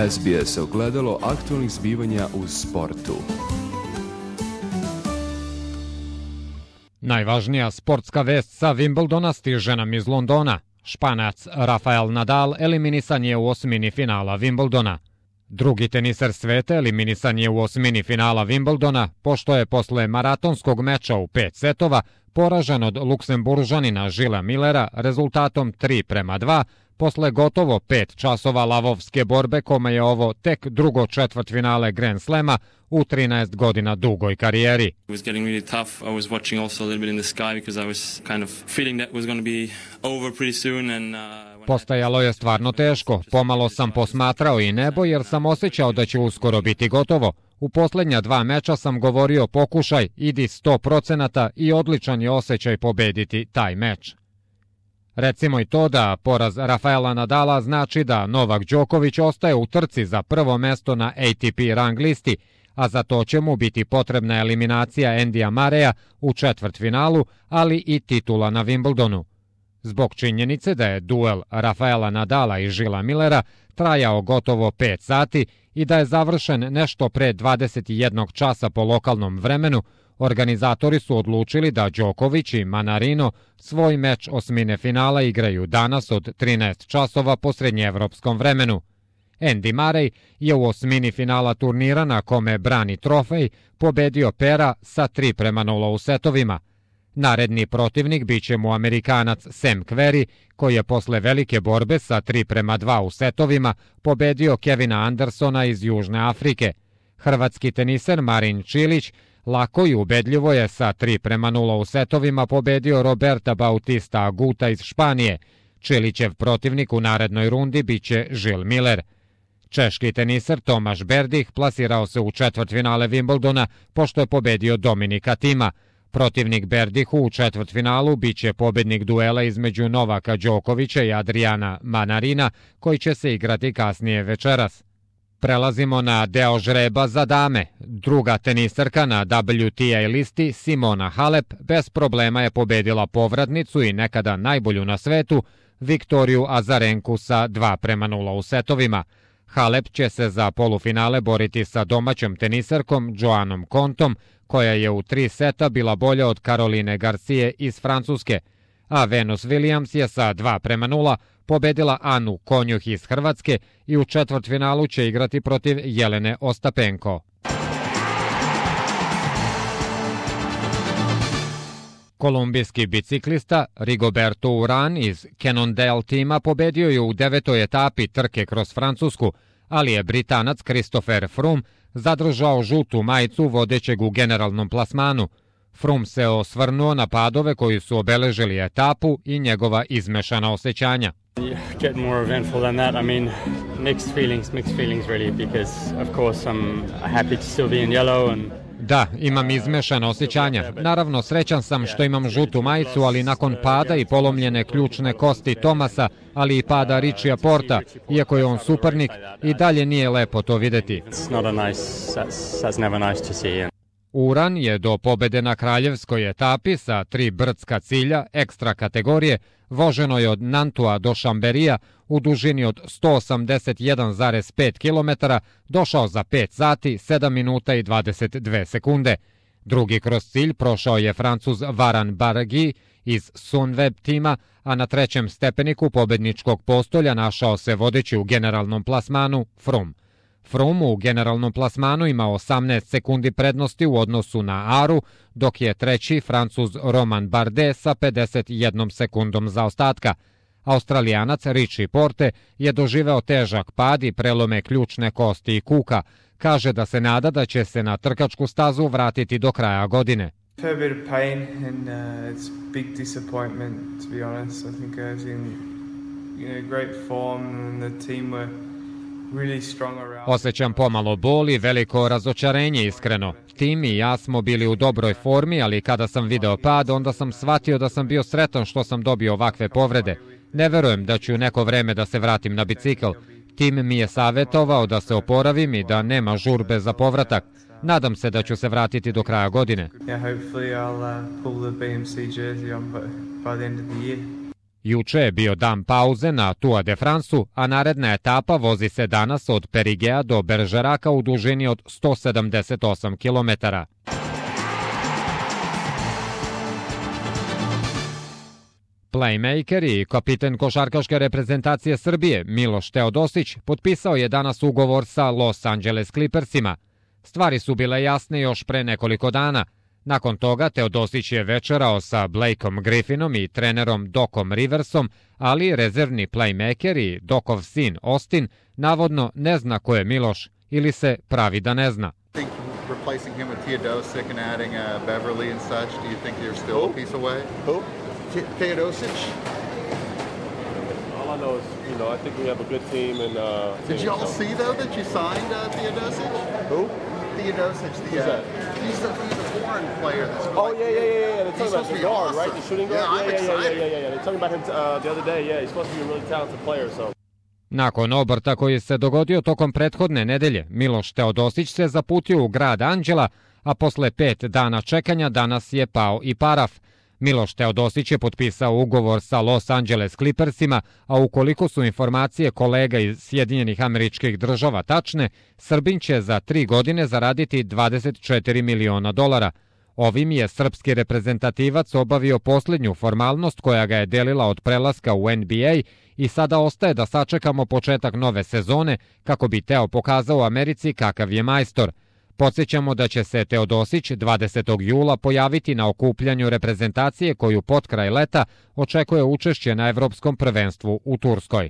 SBS ogledalo aktualnih zbivanja u sportu. Najvažnija sportska vest sa Wimbledona stiže nam iz Londona. Španac Rafael Nadal eliminisan je u osmini finala Wimbledona. Drugi teniser sveta eliminisan je u osmini finala Wimbledona, pošto je posle maratonskog meča u 5 setova poražen od Luksemburžanina Žila Millera rezultatom 3:2, posle gotovo 5 časova lavovske borbe, kome je ovo tek drugo četvrtfinale Grand Slema u 13 godina dugoj karijeri. It was getting really tough. I was watching also a little bit in the sky because I was kind of feeling that was going to be over pretty soon and Postajalo je stvarno teško. Pomalo sam posmatrao i nebo jer sam osjećao da će uskoro biti gotovo. U posljednja 2 meča sam govorio pokušaj, idi 100% i odličan je osjećaj pobediti taj meč. Recimo i to da poraz Rafaela Nadala znači da Novak Đoković ostaje u trci za prvo mesto na ATP rang listi, a za to će mu biti potrebna eliminacija Andyja Murraya u četvrtfinalu, ali i titula na Wimbledonu. Zbog činjenice da je duel Rafaela Nadala i Žila Millera trajao gotovo 5 sati i da je završen nešto pre 21 časa po lokalnom vremenu, organizatori su odlučili da Đoković i Manarino svoj meč osmine finala igraju danas od 13 časova po srednjeevropskom vremenu. Andy Murray je u osmini finala turnira na kome brani trofej pobedio Pera sa 3:0 u setovima. Naredni protivnik biće mu Amerikanac Sam Querrey, koji je posle velike borbe sa 3:2 u setovima pobedio Kevina Andersona iz Južne Afrike. Hrvatski teniser Marin Čilić lako i ubedljivo je sa 3:0 u setovima pobedio Roberta Bautista Aguta iz Španije. Čilićev protivnik u narednoj rundi biće Žil Miller. Češki teniser Tomaš Berdych plasirao se u četvrtfinale Wimbledona pošto je pobedio Dominika Thima. Protivnik Berdihu u četvrtfinalu biće pobednik duela između Novaka Đokovića i Adriana Manarina, koji će se igrati kasnije večeras. Prelazimo na deo žreba za dame. Druga teniserka na WTA listi, Simona Halep, bez problema je pobedila povratnicu i nekada najbolju na svetu, Viktoriju Azarenku sa 2:0 u setovima. Halep će se za polufinale boriti sa domaćom teniserkom Joannom Kontom, koja je u 3 seta bila bolja od Caroline Garcije iz Francuske, a Venus Williams je sa 2:0 pobedila Anu Konjuh iz Hrvatske i u četvrtfinalu će igrati protiv Jelene Ostapenko. Kolumbijski biciklista Rigoberto Urán iz Cannondale tima pobedio je u 9. etapi trke kroz Francusku, ali je Britanac Christopher Froome zadržao žutu majicu vodećeg u generalnom plasmanu. Froome se osvrnuo na padove koji su obeležili etapu i njegova izmešana osjećanja. Get more eventful than that. I mean, mixed feelings really, because of course I'm happy to still be in yellow and Da, imam izmešana osjećanja. Naravno, srećan sam što imam žutu majicu, ali nakon pada i polomljene ključne kosti Tomasa, ali i pada Richija Porta, iako je on suparnik, i dalje nije lepo to videti. Uran je do pobede na kraljevskoj etapi sa 3 brdska cilja ekstra kategorije voženo od Nantua do Šamberija u dužini od 181,5 km došao za 5 sati, 7 minuta i 22 sekunde. Drugi kroz cilj prošao je Francuz Varan Barguil iz Sunweb tima, a na trećem stepeniku pobedničkog postolja našao se vodeći u generalnom plasmanu Froome. Froome u generalnom plasmanu ima 18 sekundi prednosti u odnosu na Aru, dok je treći Francuz Romain Bardet sa 51 sekundom zaostatka. Australijanac Richie Porte je doživeo težak pad i prelome ključne kosti i kuka. Kaže da se nada da će se na trkačku stazu vratiti do kraja godine. Fair bit of pain and it's big disappointment, to be honest. I think I was in great form and the team were really strong around. Osjećam pomalo bol i veliko razočarenje, iskreno. Tim i ja smo bili u dobroj formi, ali kada sam video pad, onda sam shvatio da sam bio sretan što sam dobio ovakve povrede. Ne verujem da ću neko vreme da se vratim na bicikl. Tim mi je savjetovao da se oporavim i da nema žurbe za povratak. Nadam se da ću se vratiti do kraja godine. Juče je bio dan pauze na Tour de France-u, a naredna etapa vozi se danas od Perigea do Bergeraka u dužini od 178 km. Playmaker i kapiten košarkaške reprezentacije Srbije Miloš Teodosić potpisao je danas ugovor sa Los Angeles Clippersima. Stvari su bile jasne još pre nekoliko dana. Nakon toga Teodosić je večerao sa Blakeom Griffinom i trenerom Docom Riversom, ali rezervni playmaker i Docov sin Austin navodno ne zna ko je Miloš ili se pravi da ne zna. Replacing him with Teodosic and adding Beverly and such, do you think you're still a piece away? Who? Teodosic? All I know is, I think we have a good team. And did you all see though that you signed Teodosic? Who? Theodosic, he's the foreign player that's Oh, yeah. They're talking about the guard, right? The shooting guard? Yeah, I'm excited. Yeah. They're talking about him the other day. Yeah, he's supposed to be a really talented player, so. Nakon obrta koji se dogodio tokom prethodne nedelje, Miloš Teodosić se zaputio u grad Anđela, a posle 5 dana čekanja danas je pao i paraf. Miloš Teodosić je potpisao ugovor sa Los Angeles Clippersima, a ukoliko su informacije kolega iz Sjedinjenih Američkih Država tačne, Srbin će za 3 godine zaraditi $24 miliona. Ovim je srpski reprezentativac obavio posljednju formalnost koja ga je delila od prelaska u NBA i sada ostaje da sačekamo početak nove sezone kako bi Teo pokazao Americi kakav je majstor. Podsjećamo da će se Teodosić 20. jula pojaviti na okupljanju reprezentacije koju potkraj leta očekuje učešće na Evropskom prvenstvu u Turskoj.